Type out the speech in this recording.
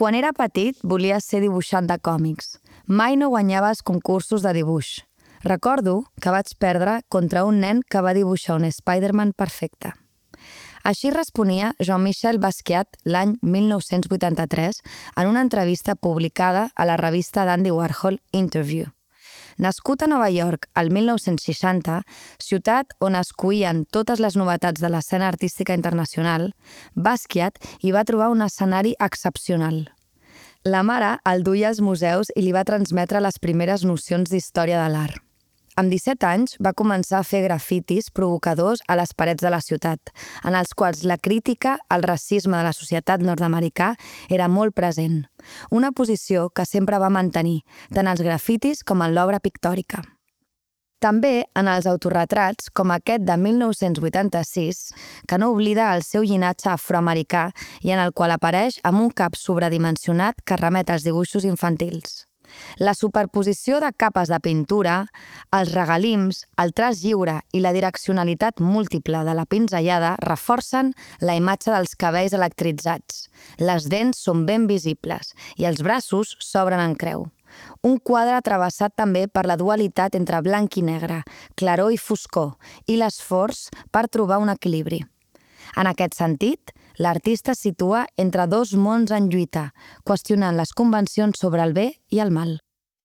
Quan era petit, volia ser dibuixant de còmics. Mai no guanyava els concursos de dibuix. Recordo que vaig perdre contra un nen que va dibuixar un Spider-Man perfecte. Així responia Jean-Michel Basquiat l'any 1983 en una entrevista publicada a la revista d'Andy Warhol Interview. Nascut a Nova York el 1960, ciutat on es cuïen totes les novetats de l'escena artística internacional, Basquiat hi va trobar un escenari excepcional. La mare el duia als museus i li va transmetre les primeres nocions d'història de l'art. Amb 17 anys va començar a fer grafitis provocadors a les parets de la ciutat, en els quals la crítica al racisme de la societat nord-americà era molt present, una posició que sempre va mantenir, tant als grafitis com en l'obra pictòrica. També en els autorretrats, com aquest de 1986, que no oblida el seu llinatge afroamericà i en el qual apareix amb un cap sobredimensionat que remet als dibuixos infantils. La superposició de capes de pintura, els regalims, el traç lliure i la direccionalitat múltiple de la pinzellada reforcen la imatge dels cabells electritzats. Les dents són ben visibles i els braços s'obren en creu. Un quadre travessat també per la dualitat entre blanc i negre, claror i foscor, i l'esforç per trobar un equilibri. En aquest sentit, l'artista es situa entre dos mons en lluita, qüestionant les convencions sobre el bé i el mal.